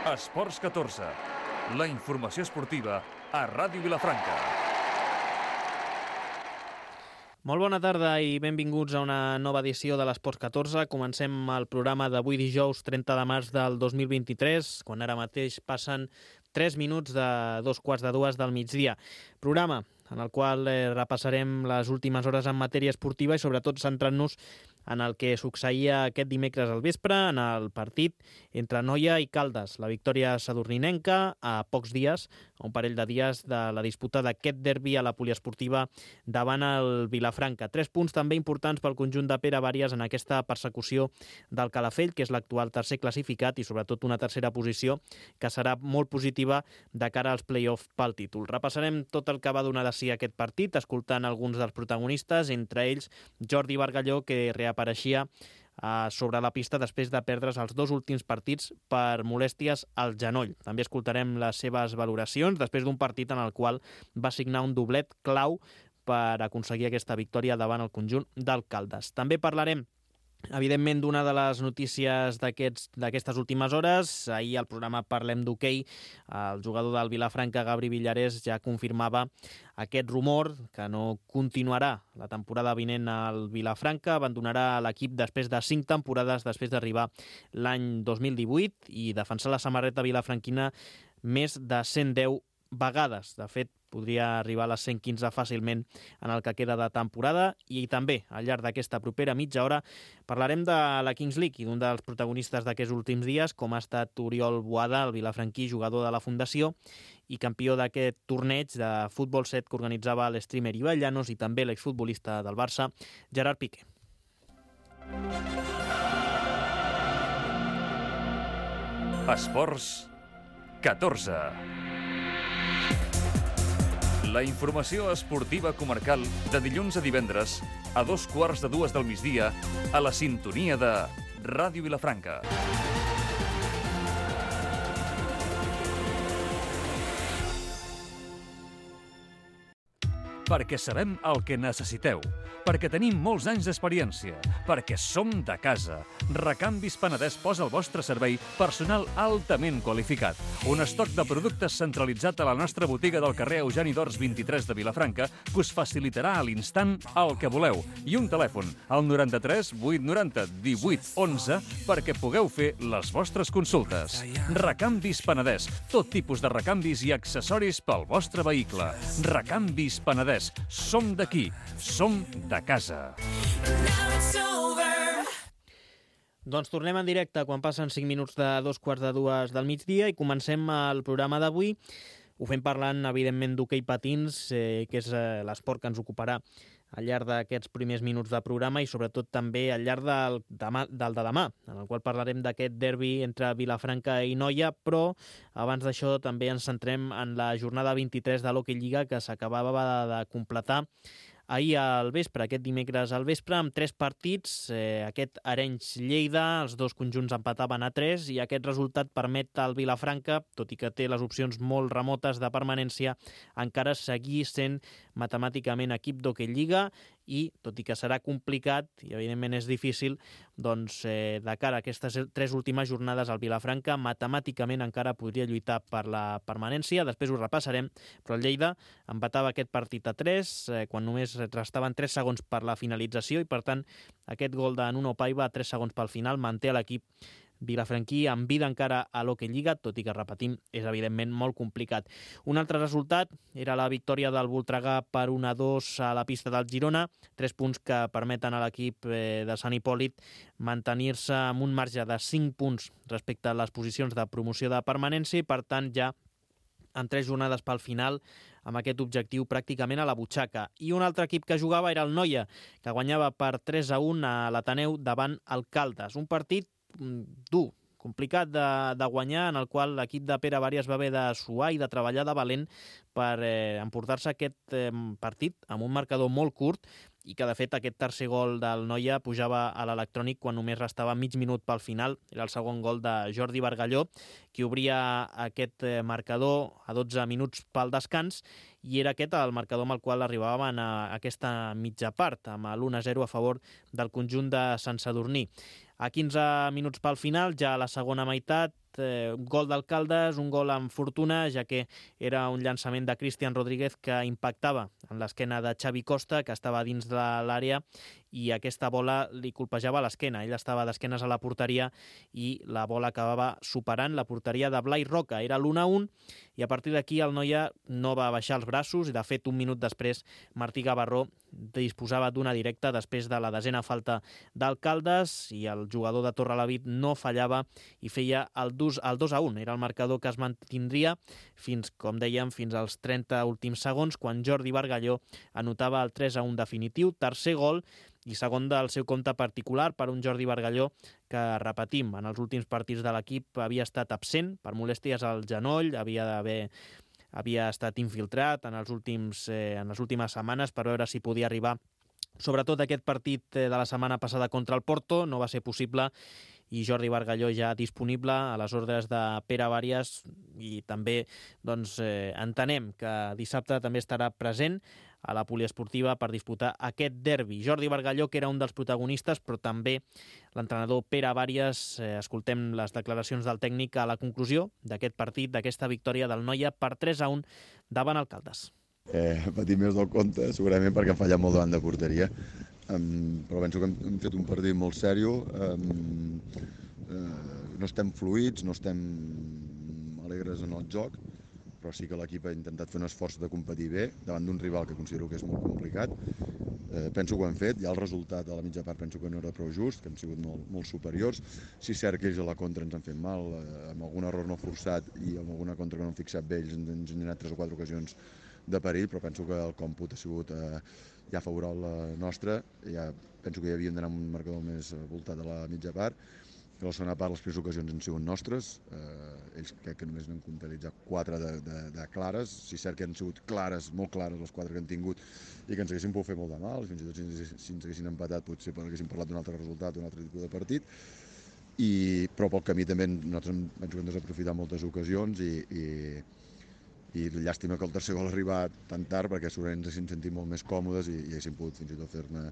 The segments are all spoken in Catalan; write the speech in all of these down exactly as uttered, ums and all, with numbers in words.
Esports catorze, la informació esportiva a Ràdio Vilafranca. Molt bona tarda i benvinguts a una nova edició de l'Esports catorze. Comencem el programa d'avui dijous trenta de març del dos mil vint-i-tres, quan ara mateix passen tres minuts de dos quarts de dues del migdia. Programa en el qual eh, repassarem les últimes hores en matèria esportiva i sobretot centrant-nos en el que succeïa aquest dimecres al vespre en el partit entre Noia i Caldes. La victòria sadurninenca a pocs dies, a un parell de dies de la disputa d'aquest derbi a la poliesportiva davant el Vilafranca. Tres punts també importants pel conjunt de Pere Bàries en aquesta persecució del Calafell, que és l'actual tercer classificat, i sobretot una tercera posició que serà molt positiva de cara als play-off pel títol. Repassarem tot el que va donar de si aquest partit, escoltant alguns dels protagonistes, entre ells Jordi Bargalló, que reapareixia uh, sobre la pista després de perdre's els dos últims partits per molèsties al genoll. També escoltarem les seves valoracions després d'un partit en el qual va signar un doblet clau per aconseguir aquesta victòria davant el conjunt del Caldes. També parlarem evidentment d'una de les notícies d'aquests d'aquestes últimes hores. Ahir al programa Parlem d'Hoquei, el jugador del Vilafranca, Gabri Villarés, ja confirmava aquest rumor que no continuarà la temporada vinent al Vilafranca, abandonarà l'equip després de cinc temporades, després d'arribar l'any dos mil divuit i defensar la samarreta vilafranquina més de cent deu vegades. De fet, podria arribar a les cent quinze fàcilment en el que queda de temporada, i també al llarg d'aquesta propera mitja hora parlarem de la Kings League i d'un dels protagonistes d'aquests últims dies, com ha estat Oriol Boada, el vilafranquí, jugador de la Fundació i campió d'aquest torneig de futbol set que organitzava l'streamer Ibai Llanos i també l'exfutbolista del Barça, Gerard Piqué. Esports catorze. La informació esportiva comarcal de dilluns a divendres a dos quarts de dues del migdia a la sintonia de Ràdio Vilafranca. Perquè sabem el que necessiteu, perquè tenim molts anys d'experiència, perquè som de casa. Recanvis Penedès posa al vostre servei personal altament qualificat. Un estoc de productes centralitzat a la nostra botiga del carrer Eugeni d'Ors vint-i-tres de Vilafranca que us facilitarà a l'instant el que voleu. I un telèfon, al noranta-tres vuit noranta divuit onze, perquè pugueu fer les vostres consultes. Recanvis Penedès, tot tipus de recanvis i accessoris pel vostre vehicle. Recanvis Penedès. Som d'aquí, som de casa. Doncs tornem en directe quan passen cinc minuts de dos quarts de dues del migdia i comencem el programa d'avui. Ho fem parlant, evidentment, d'hoquei patins, eh, que és eh, l'esport que ens ocuparà al llarg d'aquests primers minuts de programa i sobretot també al llarg del, demà, del de demà, en el qual parlarem d'aquest derbi entre Vilafranca i Noia, però abans d'això també ens centrem en la jornada vint-i-tres de l'Hockey Lliga que s'acabava de completar ahir al vespre, aquest dimecres al vespre, amb tres partits, eh, aquest Arenys-Lleida, els dos conjunts empataven a tres i aquest resultat permet al Vilafranca, tot i que té les opcions molt remotes de permanència, encara seguir sent matemàticament equip d'Hockey Lliga i, tot i que serà complicat i evidentment és difícil, doncs eh, de cara a aquestes tres últimes jornades el Vilafranca matemàticament encara podria lluitar per la permanència, després ho repassarem, però el Lleida empatava aquest partit a tres, eh, quan només restaven tres segons per la finalització i per tant aquest gol de Nuno Paiva a tres segons pel final manté a l'equip vilafranquí amb vida encara a l'Hockey Lliga, tot i que, repetim, és evidentment molt complicat. Un altre resultat era la victòria del Voltregà per un a dos a la pista del Girona, tres punts que permeten a l'equip de Sant Hipòlit mantenir-se amb un marge de cinc punts respecte a les posicions de promoció de permanència i, per tant, ja amb tres jornades pel final, amb aquest objectiu pràcticament a la butxaca. I un altre equip que jugava era el Noia, que guanyava per tres a un a l'Ateneu davant el Caldes. Un partit dur, complicat de, de guanyar, en el qual l'equip de Pere Bàries va haver de suar i de treballar de valent per eh, emportar-se aquest eh, partit amb un marcador molt curt i que, de fet, aquest tercer gol del Noia pujava a l'electrònic quan només restava mig minut pel final. Era el segon gol de Jordi Bargalló, qui obria aquest marcador a dotze minuts pel descans, i era aquest el marcador amb el qual arribaven a aquesta mitja part, amb l'u a zero a favor del conjunt de Sant Sadurní. A quinze minuts pel final, ja a la segona meitat, eh, gol d'Alcaldes, un gol amb fortuna, ja que era un llançament de Cristian Rodríguez que impactava en l'esquena de Xavi Costa, que estava dins de l'àrea, i aquesta bola li colpejava l'esquena. Ell estava d'esquenes a la porteria i la bola acabava superant la porteria de Blai Roca. Era l'u a u i a partir d'aquí el Noia no va baixar els braços i, de fet, un minut després Martí Gavarró disposava d'una directa després de la desena falta d'Alcaldes i el jugador de Torrelavit no fallava i feia el dos a un. Era el marcador que es mantindria fins, com dèiem, fins als trenta últims segons, quan Jordi Bargalló anotava el tres a un definitiu, tercer gol i segon del seu compte particular per un Jordi Bargalló que, repetim, en els últims partits de l'equip havia estat absent per molèsties al genoll, havia d'haver havia estat infiltrat en, els últims, eh, en les últimes setmanes per veure si podia arribar. Sobretot aquest partit de la setmana passada contra el Porto no va ser possible i Jordi Bargalló ja disponible a les ordres de Pere Vàries i també doncs, eh, entenem que dissabte també estarà present a la poliesportiva per disputar aquest derbi. Jordi Bargalló, que era un dels protagonistes, però també l'entrenador Pere Vàries. Eh, escoltem les declaracions del tècnic a la conclusió d'aquest partit, d'aquesta victòria del Noia per tres a un davant Alcaldes. Eh, patit més del compte, segurament perquè hem fallat molt davant de porteria, um, però penso que hem, hem fet un partit molt sèrio, um, uh, no estem fluïts, no estem alegres en el joc, però sí que l'equip ha intentat fer un esforç de competir bé davant d'un rival que considero que és molt complicat. Eh, penso que ho hem fet, ja el resultat a la mitja part penso que no era prou just, que hem sigut molt, molt superiors. Sí, és cert que ells a la contra ens han fet mal, eh, amb algun error no forçat i amb alguna contra que no hem fixat bé, ells ens han generat tres o quatre ocasions de perill, però penso que el còmput ha sigut eh, ja favorable nostre. Ja penso que ja havíem d'anar amb un marcador més voltat a la mitja part. A la segona part les primeres ocasions han sigut nostres, eh, ells crec que només n'han comptabilitzat quatre de, de, de clares, si és cert que han sigut clares, molt clares les quatre que han tingut i que ens haguessin pogut fer molt de mal, fins i tot si ens, si ens haguessin empatat potser haguéssim parlat d'un altre resultat, d'un altre tipus de partit, I, però pel camí també nosaltres penso que hem desaprofitat moltes ocasions i, i, i llàstima que el tercer gol ha arribat tan tard perquè segurament ens haguéssim sentit molt més còmodes i, i haguéssim pogut fins i tot fer-ne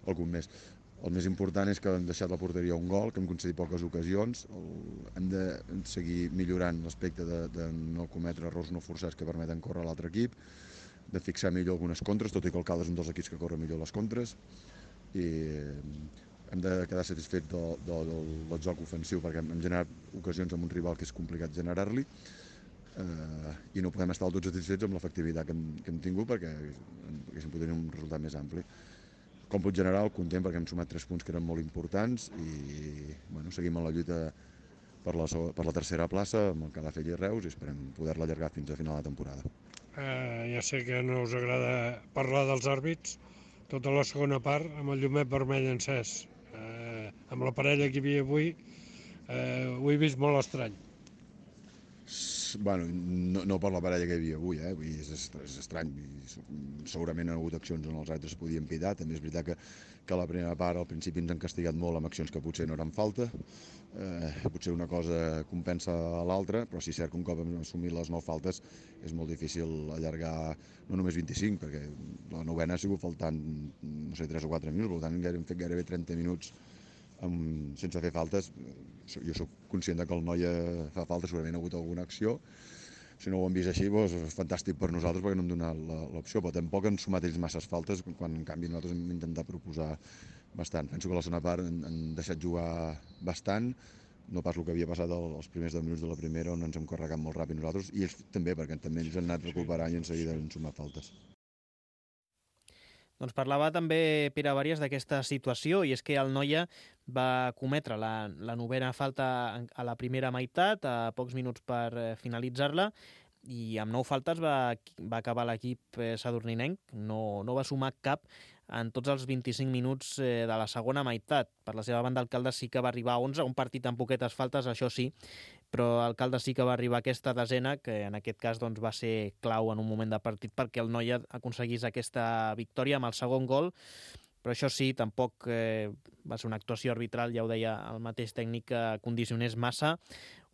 algun més. El més important és que hem deixat la porteria un gol, que hem concedit poques ocasions. El, hem de seguir millorant l'aspecte de, de no cometre errors no forçats que permeten córrer a l'altre equip, de fixar millor algunes contres, tot i que el Caldes és un dels equips que corre millor les contres. I hem de quedar satisfets del, del, del joc ofensiu perquè hem generat ocasions amb un rival que és complicat generar-li. Uh, i no podem estar del tot satisfets amb l'efectivitat que, hem, que hem tingut perquè haguéssim pogut tenir un resultat més ampli. Còmput general, content perquè hem sumat tres punts que eren molt importants i bueno, seguim en la lluita per la, per la tercera plaça amb el Calafell i Reus i esperem poder-la allargar fins a final de temporada. Eh, ja sé que no us agrada parlar dels àrbits, tota la segona part amb el llumet vermell encès. Eh, amb la parella que hi havia avui eh, ho he vist molt estrany. Bueno, no, no per la parella que hi havia avui, eh? Vull dir, és, és estrany. Segurament ha hagut accions on els altres es podien pitar. També és veritat que, que a la primera part al principi ens han castigat molt amb accions que potser no eren falta. Eh, potser una cosa compensa a l'altra, però sí és cert que un cop hem assumit les nou faltes és molt difícil allargar no només vint-i-cinc, perquè la novena ha sigut faltant no sé, tres o quatre minuts, per tant hem fet gairebé trenta minuts amb, sense fer faltes. Jo sóc conscient que el Noia fa falta, segurament ha hagut alguna acció. Si no ho han vist així, doncs és fantàstic per nosaltres perquè no hem donat l'opció, però tampoc han sumat ells masses faltes, quan en canvi nosaltres hem intentat proposar bastant. Penso que a la segona part han, han deixat jugar bastant, no pas el que havia passat els primers deu minuts de la primera on ens hem carregat molt ràpid nosaltres, i ells també, perquè també ells han anat recuperant i en seguida han sumat faltes. Doncs parlava també Pere Vàries d'aquesta situació, i és que el Noia va cometre la, la novena falta a la primera meitat, a pocs minuts per finalitzar-la, i amb nou faltes va, va acabar l'equip sadurninenc, no, no va sumar cap en tots els vint-i-cinc minuts de la segona meitat. Per la seva banda, el Caldes sí que va arribar a onze, un partit amb poquetes faltes, això sí, però el Caldes sí que va arribar a aquesta desena, que en aquest cas doncs, va ser clau en un moment de partit perquè el Noia aconseguís aquesta victòria amb el segon gol, però això sí, tampoc eh, va ser una actuació arbitral, ja ho deia el mateix tècnic, que condicionés massa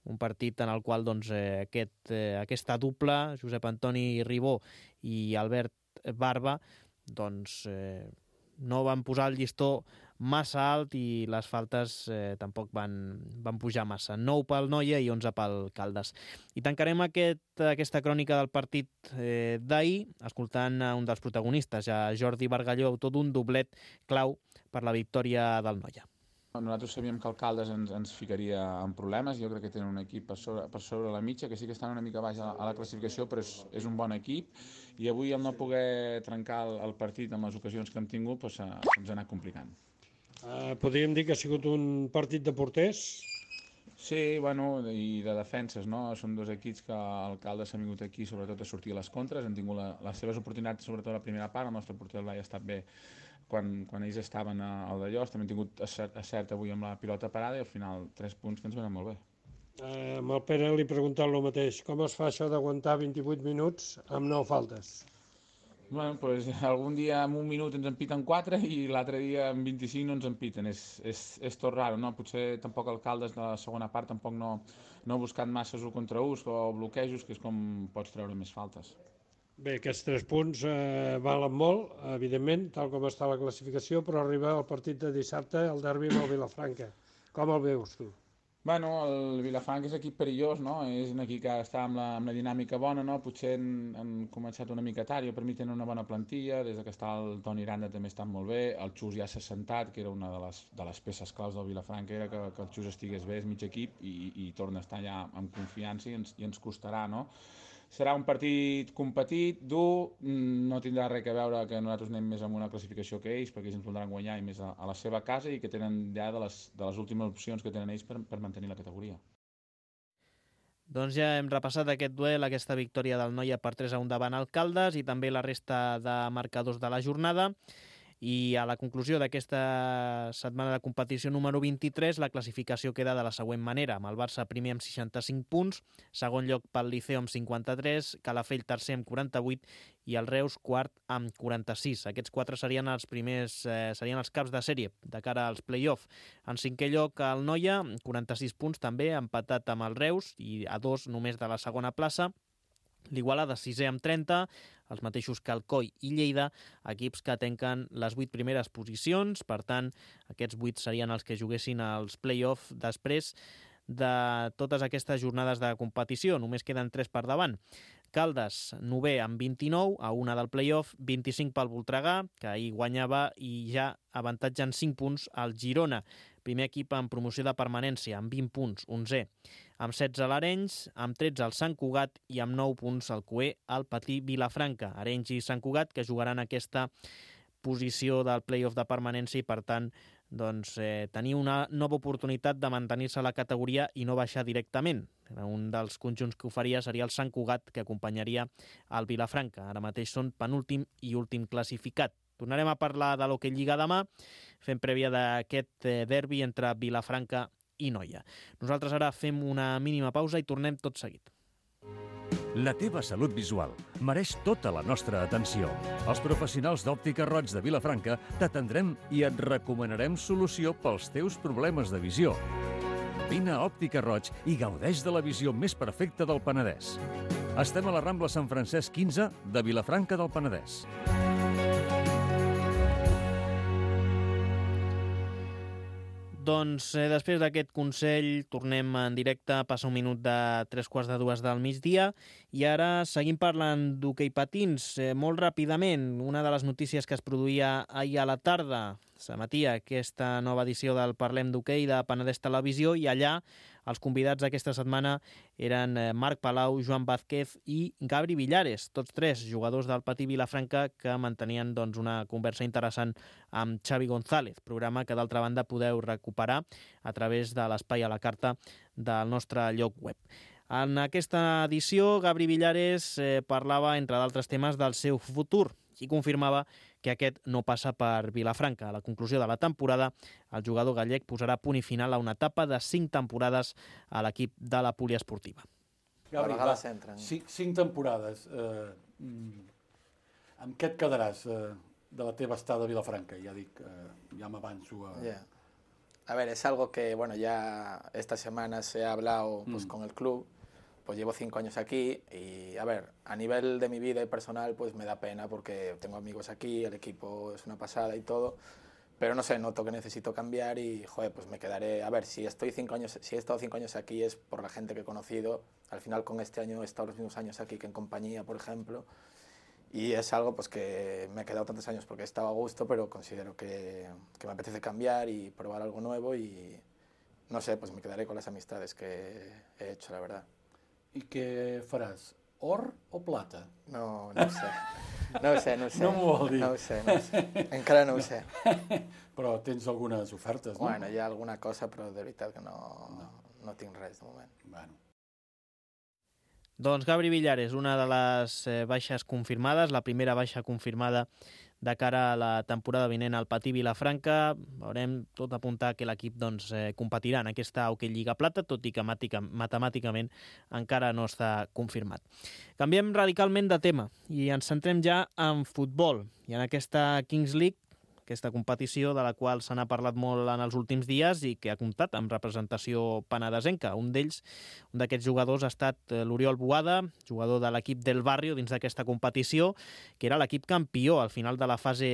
un partit en el qual doncs, eh, aquest, eh, aquesta dupla, Josep Antoni Ribó i Albert Barba, doncs eh, no van posar el llistó massa alt i les faltes eh, tampoc van, van pujar massa. nou pel Noia i onze pel Caldes. I tancarem aquest, aquesta crònica del partit eh, d'ahir escoltant a un dels protagonistes, a Jordi Bargalló, autor d'un doblet clau per la victòria del Noia. Nosaltres sabíem que el Caldes ens, ens ficaria en problemes. Jo crec que tenen un equip per sobre, per sobre la mitja, que sí que estan una mica baix a la, a la classificació, però és, és un bon equip. I avui, al no poder trencar el, el partit amb les ocasions que hem tingut, doncs, eh, ens ha anat complicant. Uh, podríem dir que ha sigut un partit de porters? Sí, bueno, i de defenses, no? Són dos equips que el Caldes ha vingut aquí sobretot a sortir a les contres, han tingut la, les seves oportunitats, sobretot a la primera part, el nostre porter l'ha estat bé quan, quan ells estaven al d'allò, també han tingut acert, acert avui amb la pilota parada i al final tres punts que ens venen molt bé. Uh, amb el Pere li he preguntat el mateix, com es fa això d'aguantar vint-i-vuit minuts amb nou faltes? Bueno, pues, algun dia en un minut ens en piten quatre i l'altre dia en vint-i-cinc no ens en piten. És, és, és tot raro, no? Potser tampoc el Caldes de la segona part tampoc no, no ha buscat masses un contra uns o bloquejos, que és com pots treure més faltes. Bé, aquests tres punts eh, valen molt, evidentment, tal com està la classificació, però arriba el partit de dissabte, el derbi amb el Vilafranca. Com el veus, tu? Bueno, el Vilafranca és equip perillós, no? És un equip que està amb la, amb la dinàmica bona, no? Potser han, han començat una mica tard, jo per mi tenen una bona plantilla, des que està el Toni Aranda també està molt bé, el Xus ja s'ha sentat, que era una de les, de les peces claus del Vilafranca, era que, que el Xus estigués bé, és mig equip, i, i torna a estar ja amb confiança i ens, i ens costarà, no? Serà un partit competit, dur, no tindrà res a veure que nosaltres anem més amb una classificació que ells, perquè ells ens voldran guanyar i més a, a la seva casa i que tenen ja de les, de les últimes opcions que tenen ells per, per mantenir la categoria. Doncs ja hem repassat aquest duel, aquesta victòria del Noia per tres a un davant al Caldes i també la resta de marcadors de la jornada. I a la conclusió d'aquesta setmana de competició número vint-i-tres, la classificació queda de la següent manera, amb el Barça primer amb seixanta-cinc punts, segon lloc pel Liceo amb cinquanta-tres, Calafell tercer amb quaranta-vuit i el Reus quart amb quaranta-sis. Aquests quatre serien els primers, eh, serien els caps de sèrie de cara als play-off. En cinquè lloc el Noia, quaranta-sis punts també, empatat amb el Reus i a dos només de la segona plaça. L'Igualada sisè amb trenta, els mateixos que Alcoi i Lleida, equips que tanquen les vuit primeres posicions, per tant, aquests vuit serien els que juguessin als play-off després de totes aquestes jornades de competició, només queden tres per davant. Caldes, novè amb vint-i-nou, a una del play-off, vint-i-cinc pel Voltregà, que ahir guanyava i ja avantatgen cinc punts al Girona, primer equip en promoció de permanència, amb vint punts, onzè. Amb setze l'Arenys, amb tretze el Sant Cugat i amb nou punts el Coer al Patí Vilafranca. Arenys i Sant Cugat que jugaran aquesta posició del play-off de permanència i, per tant, doncs, eh, tenir una nova oportunitat de mantenir-se a la categoria i no baixar directament. Un dels conjunts que ho faria seria el Sant Cugat, que acompanyaria el Vilafranca. Ara mateix són penúltim i últim classificat. Tornarem a parlar de l'Hockey Lliga demà, fent prèvia d'aquest derbi entre Vilafranca i Noia. Nosaltres ara fem una mínima pausa i tornem tot seguit. La teva salut visual mereix tota la nostra atenció. Els professionals d'Òptica Roig de Vilafranca t'atendrem i et recomanarem solució pels teus problemes de visió. Vine a Òptica Roig i gaudeix de la visió més perfecta del Penedès. Estem a la Rambla Sant Francesc quinze de Vilafranca del Penedès. Doncs eh, després d'aquest consell tornem en directe, passa un minut de tres quarts de dues del migdia i ara seguim parlant d'hoquei patins. Eh, molt ràpidament, una de les notícies que es produïa ahir a la tarda, s'emetia aquesta nova edició del Parlem d'Hoquei de Penedès Televisió i allà els convidats d'aquesta setmana eren Marc Palau, Joan Vázquez i Gabri Villares, tots tres jugadors del Patí Vilafranca que mantenien doncs, una conversa interessant amb Xavi González, programa que d'altra banda podeu recuperar a través de l'espai a la carta del nostre lloc web. En aquesta edició, Gabri Villares eh, parlava, entre d'altres temes, del seu futur i confirmava que aquest no passa per Vilafranca. A la conclusió de la temporada, el jugador gallec posarà punt i final a una etapa de cinc temporades a l'equip de la poliesportiva. Gabri, va, cinc, cinc temporades. Eh, amb què et quedaràs eh, de la teva estada a Vilafranca? Ja dic, eh, ja m'avanço a... Yeah. A ver, es algo que, bueno, ya esta semana se ha hablado pues, mm. con el club. Pues llevo cinco años aquí y, a ver, a nivel de mi vida y personal, pues me da pena porque tengo amigos aquí, el equipo es una pasada y todo, pero no sé, noto que necesito cambiar y, joder, pues me quedaré... A ver, si estoy cinco años, si he estado cinco años aquí es por la gente que he conocido. Al final, con este año he estado los mismos años aquí que en compañía, por ejemplo. Y es algo pues que me he quedado tantos años porque he estado a gusto, pero considero que, que me apetece cambiar y probar algo nuevo y, no sé, pues me quedaré con las amistades que he hecho, la verdad. I què faràs? Or o plata? No, no ho sé. No ho sé, no ho sé. No m'ho vol dir. No ho sé, no ho sé. Encara no ho sé. Però tens algunes ofertes, no? Bueno, hi ha alguna cosa, però de veritat que no, no. no tinc res de moment. Bueno. Doncs Gabri Villares, una de les eh, baixes confirmades, la primera baixa confirmada de cara a la temporada vinent al Patí Vilafranca. Veurem tot apuntar que l'equip doncs, eh, competirà en aquesta Hockey Lliga Plata, tot i que matemàticament encara no està confirmat. Canviem radicalment de tema i ens centrem ja en futbol i en aquesta Kings League, aquesta competició de la qual se n'ha parlat molt en els últims dies i que ha comptat amb representació penedesenca. Un d'ells, un d'aquests jugadors, ha estat l'Oriol Boada, jugador de l'equip del Barrio dins d'aquesta competició, que era l'equip campió al final de la fase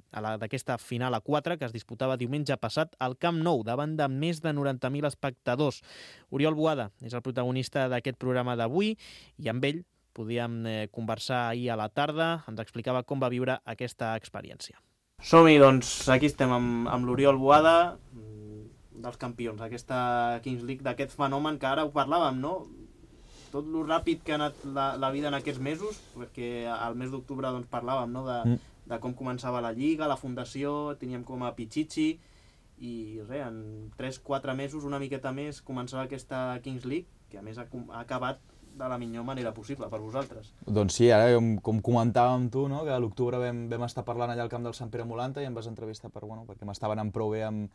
d'aquesta final a quatre, que es disputava diumenge passat al Camp Nou, davant de més de noranta mil espectadors. Oriol Boada és el protagonista d'aquest programa d'avui i amb ell podíem conversar ahir a la tarda. Ens explicava com va viure aquesta experiència. Som-hi, doncs, aquí estem amb, amb l'Oriol Boada, dels campions, aquesta Kings League, d'aquest fenomen que ara ho parlàvem, no? Tot lo ràpid que ha anat la, la vida en aquests mesos, perquè al mes d'octubre doncs, parlàvem, no? de, mm. de com començava la Lliga, la fundació, teníem com a Pichichi, i res, en tres quatre mesos, una miqueta més, començava aquesta Kings League, que a més ha, ha acabat de la millor manera possible per vosaltres. Doncs sí, ara com, com comentàvem tu, no? Que a l'octubre vam, vam estar parlant allà al camp del Sant Pere Molanta i em vas entrevistar per, bueno, perquè m'estava anant prou bé amb,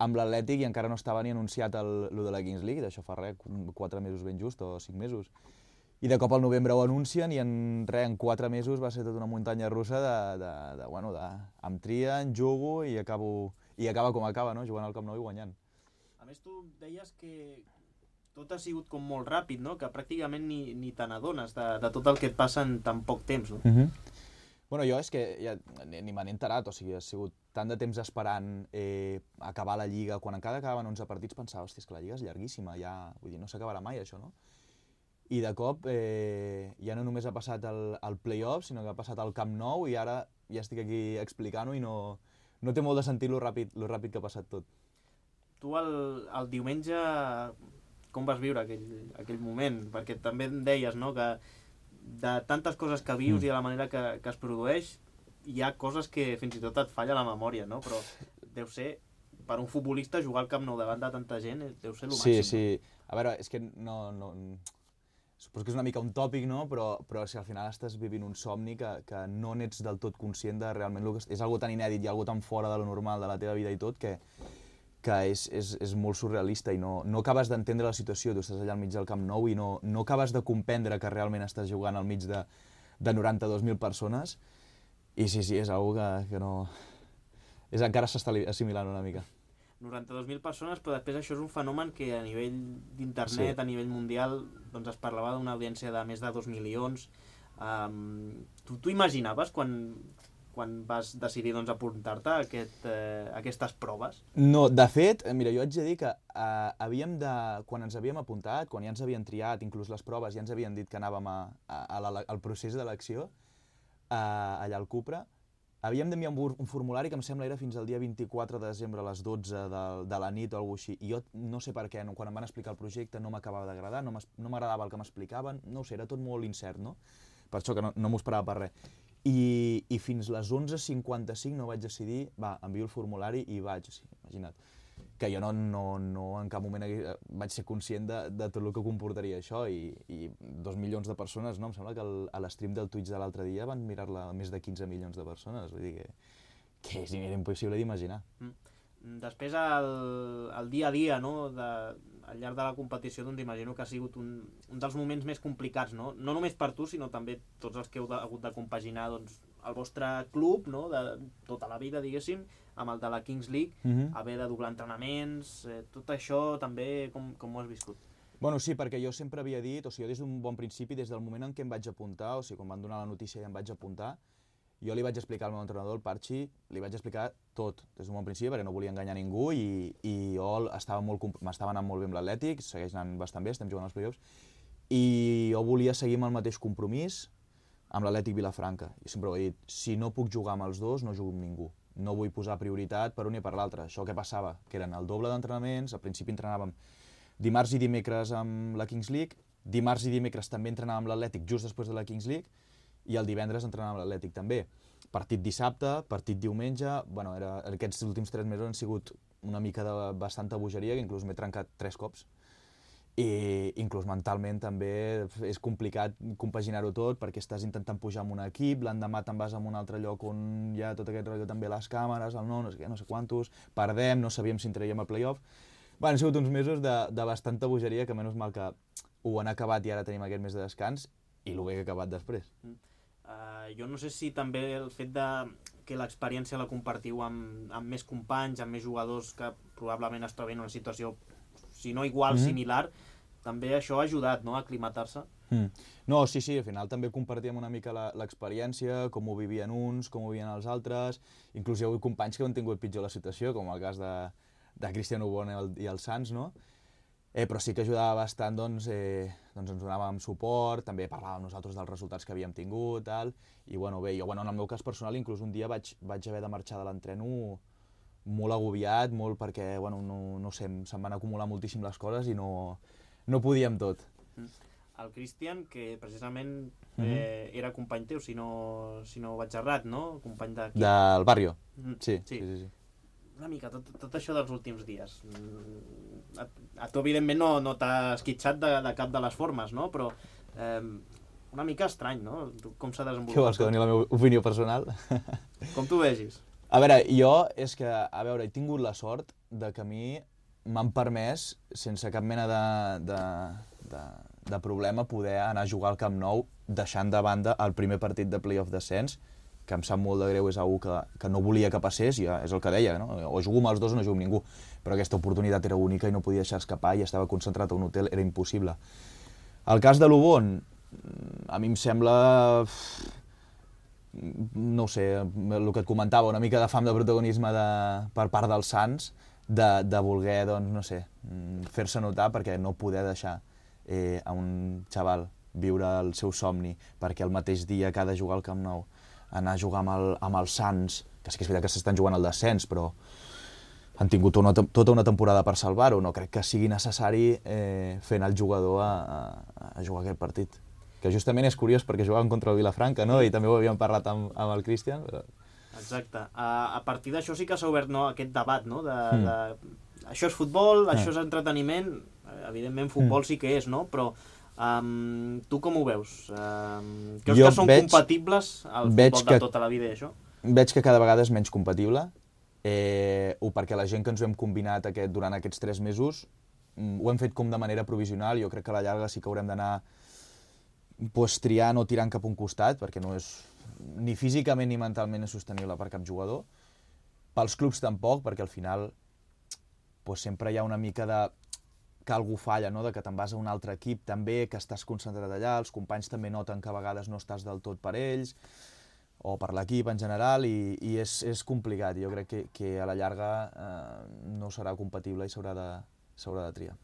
amb l'Atlètic i encara no estava ni anunciat el, el de la Kings League, d'això fa res, quatre mesos ben just o cinc mesos. I de cop al novembre ho anuncien i en, res, en quatre mesos va ser tota una muntanya russa de, de, de, bueno, de, em trien, jugo i, acabo, i acaba com acaba, no? Jugant al Camp Nou i guanyant. A més tu deies que tot ha sigut com molt ràpid, no? Que pràcticament ni, ni te n'adones de, de tot el que et passa en tan poc temps, no? Mm-hmm. Bueno, jo és que ja ni, ni me n'he enterat, o sigui, ha sigut tant de temps esperant eh, acabar la Lliga, quan encara acabaven onze partits pensava, hòstia, és que la Lliga és llarguíssima, ja, vull dir, no s'acabarà mai això, no? I de cop eh, ja no només ha passat el, el play-off, sinó que ha passat el Camp Nou i ara ja estic aquí explicant-ho i no, no té molt de sentit lo ràpid, lo ràpid que ha passat tot. Tu el, el diumenge com vas viure aquell, aquell moment? Perquè també em deies, no?, que de tantes coses que vius mm. i de la manera que, que es produeix, hi ha coses que fins i tot et falla la memòria, no? Però deu ser, per un futbolista, jugar al Camp Nou davant de tanta gent deu ser el sí, màxim. Sí, sí. A veure, és que no... no... Suposo que és una mica un tòpic, no? Però, però si al final estàs vivint un somni que, que no n'ets del tot conscient de realment el que és algo tan inèdit i algo tan fora de lo normal de la teva vida i tot que, que és, és, és molt surrealista i no, no acabes d'entendre la situació. Tu estàs allà al mig del Camp Nou i no, no acabes de comprendre que realment estàs jugant al mig de, de noranta-dos mil persones i sí, sí, és algo que, que no... És, encara s'està assimilant una mica. noranta-dos mil persones, però després això és un fenomen que a nivell d'internet, sí. a nivell mundial, doncs es parlava d'una audiència de més de dos milions. Um, tu t'ho imaginaves quan, quan vas decidir doncs, apuntar-te a, aquest, eh, a aquestes proves? No, de fet, mira, jo haig de dir que eh, havíem de, quan ens havíem apuntat, quan ja ens havien triat, inclús les proves, ja ens havien dit que anàvem a, a, a la, al procés d'elecció, eh, allà al Cupra, havíem d'enviar un, un formulari que em sembla era fins al dia vint-i-quatre de desembre a les dotze de, de la nit o alguna cosa així. I jo no sé per què, no, quan em van explicar el projecte no m'acabava d'agradar, no m'agradava el que m'explicaven, no ho sé, era tot molt incert, no? Per això que no, no m'ho esperava per res. I, i fins les onze cinquanta-cinc no vaig decidir, va, envio el formulari i vaig, sí, imagina't. Que jo no, no, no en cap moment vaig ser conscient de, de tot el que comportaria això i, i dos milions de persones, no? Em sembla que el, a l'stream del Twitch de l'altre dia van mirar-la més de quinze milions de persones, vull dir que, que és impossible d'imaginar. Mm. Després, el, el dia a dia, no? De, al llarg de la competició, doncs imagino que ha sigut un, un dels moments més complicats, no? No només per tu, sinó també tots els que heu de, hagut de compaginar doncs, el vostre club, no? De tota la vida, diguéssim, amb el de la Kings League, mm-hmm. haver de doblar entrenaments, eh, tot això també com, com ho has viscut? Bueno, sí, perquè jo sempre havia dit, o sigui, jo des d'un bon principi, des del moment en què em vaig apuntar, o sigui, quan van donar la notícia i em vaig apuntar, jo li vaig explicar al meu entrenador, el Parchi, li vaig explicar tot, des d'un bon principi, perquè no volia enganyar ningú i, i jo estava molt, m'estava anant molt bé amb l'Atlètic, segueix anant bastant bé, estem jugant als play-offs, i jo volia seguir amb el mateix compromís amb l'Atlètic Vilafranca. I sempre ho he dit, si no puc jugar amb els dos, no jugo amb ningú. No vull posar prioritat per un i per l'altre. Això què passava? Que eren el doble d'entrenaments, al principi entrenàvem dimarts i dimecres amb la Kings League, dimarts i dimecres també entrenàvem amb l'Atlètic just després de la Kings League, i el divendres entrenàvem amb l'Atlètic també. Partit dissabte, partit diumenge, bueno, era, aquests últims tres mesos han sigut una mica de bastanta bogeria, que inclús m'he trencat tres cops. I inclús mentalment també és complicat compaginar-ho tot, perquè estàs intentant pujar amb un equip, l'endemà te'n vas a un altre lloc on hi ha tot aquest rotllo també les càmeres, el no, no sé què, no sé quantos, perdem, no sabíem si entraríem al play-off. Bueno, han sigut uns mesos de, de bastanta bogeria, que menys mal que ho han acabat i ara tenim aquest mes de descans, i el bé que ha acabat després. Mm. Uh, jo no sé si també el fet de que l'experiència la compartiu amb, amb més companys, amb més jugadors que probablement es troben en una situació, si no igual, mm-hmm. similar, també això ha ajudat, no?, a aclimatar-se. Mm. No, sí, sí, al final també compartíem una mica l'experiència, com ho vivien uns, com ho vivien els altres, inclús hi ha hagut companys que han tingut pitjor la situació, com el cas de, de Cristian Ubon i el, i el Sants, no? Eh, però sí que ajudava bastant, doncs, eh, doncs ens donàvem suport, també parlàvem nosaltres dels resultats que havíem tingut, tal, i bueno, bé, jo, bueno, en el meu cas personal, inclús un dia vaig, vaig haver de marxar de l'entreno molt agobiat, molt perquè, bueno, no, no sé, se'm van acumular moltíssim les coses i no, no podíem tot. El Cristian, que precisament eh, mm-hmm. era company teu, si no, si no vaig errat, no? Company de... Del barrio, mm, sí, sí, sí, sí. sí. Una mica, tot, tot això dels últims dies. A, a tu, evidentment, no, no t'ha esquitxat de, de cap de les formes, no? Però eh, una mica estrany, no? Com s'ha desenvolupat? Què vols, que doni la meva opinió personal? Com tu vegis? A veure, jo és que, a veure, he tingut la sort de que a mi m'han permès, sense cap mena de, de, de, de problema, poder anar a jugar al Camp Nou, deixant de banda el primer partit de playoff descens, que em sap molt de greu, és algú que, que no volia que passés, i és el que deia, no? O jugo amb els dos o no jugo amb ningú, però aquesta oportunitat era única i no podia deixar escapar i estava concentrat a un hotel, era impossible. El cas de l'Ubon, a mi em sembla, no sé, el que et comentava, una mica de fam de protagonisme de, per part dels Sants, de, de voler, doncs, no sé, fer-se notar perquè no poder deixar eh, a un xaval viure el seu somni, perquè el mateix dia que ha de jugar al Camp Nou anar a jugar amb, el, amb els Sants, que sí que és veritat que s'estan jugant al descens, però han tingut una, tota una temporada per salvar-ho, no crec que sigui necessari eh, fer anar el jugador a, a, a jugar aquest partit. Que justament és curiós perquè jugaven contra el Vilafranca, no? I també ho havíem parlat amb, amb el Cristian. Però... Exacte. A, a partir d'això sí que s'ha obert, no, aquest debat, no? De, mm. de... Això és futbol, mm. això és entreteniment, evidentment futbol mm. sí que és, no? Però Um, tu com ho veus? Um, creus jo que són veig, compatibles el futbol de que, tota la vida i això? Veig que cada vegada és menys compatible, eh, o perquè la gent que ens ho hem combinat aquest, durant aquests tres mesos ho hem fet com de manera provisional. Jo crec que a la llarga sí que haurem d'anar pues, triant o tirant cap a un costat, perquè no és ni físicament ni mentalment és sostenible per cap jugador. Pels clubs tampoc, perquè al final pues, sempre hi ha una mica de... que algú falla, no? De que te'n vas a un altre equip també, que estàs concentrat allà, els companys també noten que a vegades no estàs del tot per ells, o per l'equip en general, i, i és, és complicat. Jo crec que, que a la llarga eh, no serà compatible i s'haurà de, s'haurà de triar.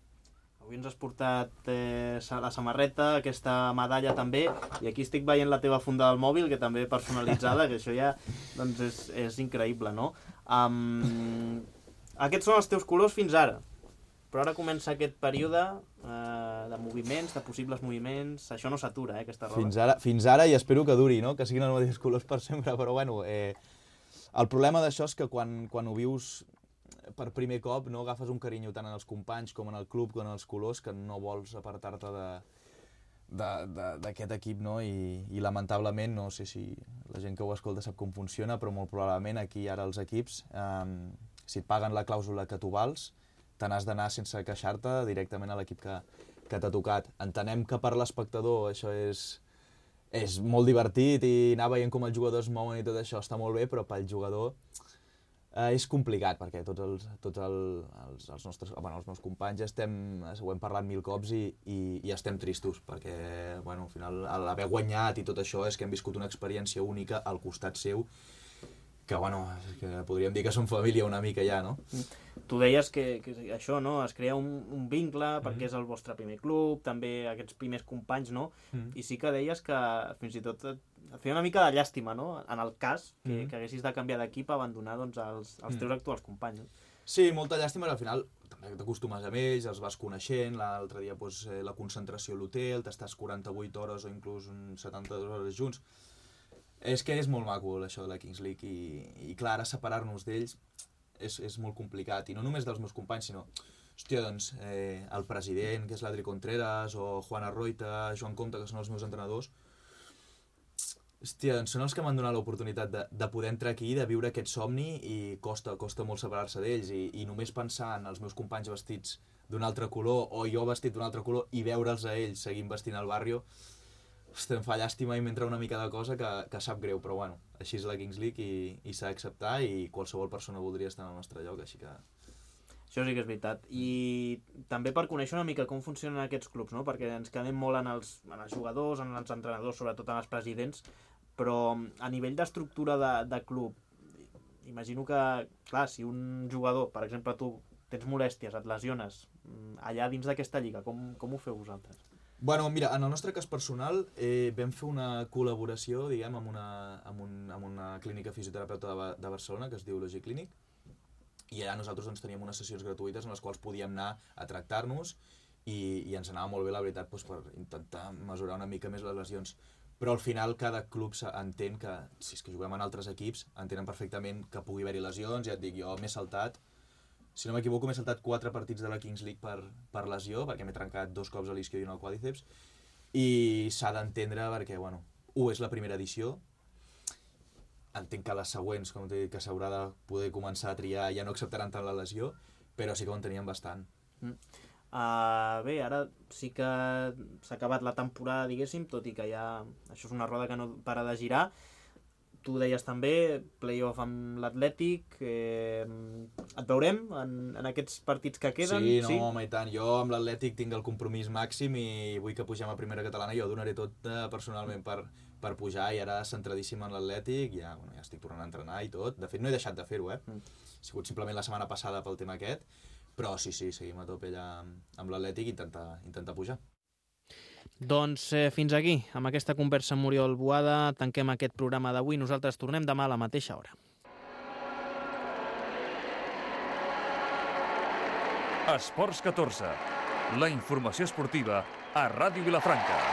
Avui ens has portat eh, la samarreta, aquesta medalla també, i aquí estic veient la teva funda del mòbil, que també personalitzada, que això ja doncs és, és increïble, no? Um, aquests són els teus colors fins ara. Però ara comença aquest període eh, de moviments, de possibles moviments. Això no s'atura, eh, aquesta roba. Fins ara, fins ara i espero que duri, no? Que siguin els mateixos colors per sempre, però bueno... Eh, el problema d'això és que quan, quan ho vius per primer cop, no agafes un carinyo tant en els companys com en el club com en els colors, que no vols apartar-te d'aquest equip, no? I, i lamentablement, no sé si la gent que ho escolta sap com funciona, però molt probablement aquí ara els equips, eh, si et paguen la clàusula que tu vals, te n'has d'anar sense queixar-te directament a l'equip que, que t'ha tocat. Entenem que per l'espectador això és, és molt divertit i anar veient com els jugadors mouen i tot això està molt bé, però pel jugador Uh, és complicat, perquè tots els, tots el, els, els nostres, bueno, els meus companys estem, ho hem parlat mil cops i, i, i estem tristos, perquè, bueno, al final, l'haver guanyat i tot això és que hem viscut una experiència única al costat seu, que, bueno, que podríem dir que som família una mica ja, no? Tu deies que, que això, no?, es crea un, un vincle perquè Mm. és el vostre primer club, també aquests primers companys, no? Mm. I sí que deies que fins i tot et, et feia una mica de llàstima, no?, en el cas que, Mm. que haguessis de canviar d'equip a abandonar doncs, els, els teus Mm. actuals companys. No? Sí, molta llàstima, però al final també t'acostumes amb ells, els vas coneixent, l'altre dia doncs, eh, la concentració a l'hotel, t'estàs quaranta-vuit hores o inclús setanta-dues hores junts. És que és molt maco això de la Kings League i, i clar, ara separar-nos d'ells és, és molt complicat, i no només dels meus companys, sinó, hòstia, doncs, eh, el president, que és l'Adri Contreras, o Juan Arroita, Joan Comte, que són els meus entrenadors, hòstia, doncs són els que m'han donat l'oportunitat de, de poder entrar aquí, de viure aquest somni, i costa, costa molt separar-se d'ells, i, i només pensar en els meus companys vestits d'un altre color, o jo vestit d'un altre color, i veure'ls a ells seguint vestint al barrio, hòstia, em fa llàstima i m'entra una mica de cosa que, que sap greu, però bueno, així és la Kings League i, i s'ha d'acceptar, i qualsevol persona voldria estar en el nostre lloc, així que... Això sí que és veritat. I també per conèixer una mica com funcionen aquests clubs, no? Perquè ens quedem molt en els, en els jugadors, en els entrenadors, sobretot en els presidents, però a nivell d'estructura de, de club, imagino que, clar, si un jugador, per exemple tu, tens molèsties, et lesiones, allà dins d'aquesta lliga, com, com ho feu vosaltres? Bueno, mira, en el nostre cas personal eh, vam fer una col·laboració, diguem, amb una, amb un, amb una clínica fisioterapeuta de, de Barcelona que es diu Logi Clinic, i allà nosaltres doncs, teníem unes sessions gratuïtes en les quals podíem anar a tractar-nos i, i ens anava molt bé, la veritat, doncs, per intentar mesurar una mica més les lesions. Però al final cada club entén que, si és que juguem en altres equips, entenen perfectament que pugui haver-hi lesions, ja et dic, jo m'he saltat, si no m'equivoco, m'he saltat quatre partits de la Kings League per, per lesió, perquè m'he trencat dos cops a l'isquio i un al quàdriceps, i s'ha d'entendre perquè, bueno, u és la primera edició, entenc que les següents, com t'he dit, que s'haurà de poder començar a triar, ja no acceptaran tant la lesió, però sí que ho entenien bastant. Mm. Uh, bé, ara sí que s'ha acabat la temporada, diguéssim, tot i que ja això és una roda que no para de girar. Tu deies també, play-off amb l'Atlètic, eh, et veurem en, en aquests partits que queden? Sí, no, sí? Home, i tant. Jo amb l'Atlètic tinc el compromís màxim i vull que pugem a primera catalana, jo donaré tot eh, personalment per, per pujar, i ara centradíssim en l'Atlètic, ja, bueno, ja estic tornant a entrenar i tot. De fet, no he deixat de fer-ho, eh? Mm. Ha sigut simplement la setmana passada pel tema aquest, però sí, sí, seguim a tope allà amb l'Atlètic i intentar, intentar pujar. Doncs eh, fins aquí, amb aquesta conversa amb Oriol Boada, tanquem aquest programa d'avui. Nosaltres tornem demà a la mateixa hora. Esports catorze, la informació esportiva a Ràdio Vilafranca.